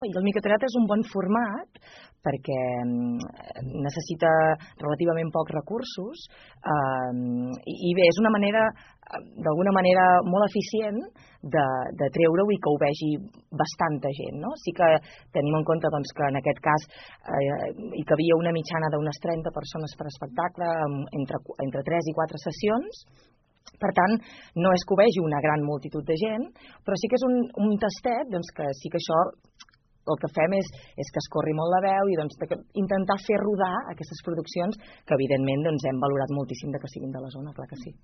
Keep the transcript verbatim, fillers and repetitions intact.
I el microteatre és un bon format perquè necessita relativament pocs recursos eh, i bé, és una manera, d'alguna manera molt eficient de, de treure-ho i que ho vegi bastanta gent, no? Sí que tenim en compte doncs, que en aquest cas eh, hi cabia una mitjana d'unes trenta persones per espectacle entre, entre tres i quatre sessions. Per tant, no és que ho vegi una gran multitud de gent, però sí que és un, un tastet doncs, que sí que això el que fem és, és que es corri molt la veu i doncs, intentar fer rodar aquestes produccions que evidentment doncs, hem valorat moltíssim de que siguin de la zona, clar que sí.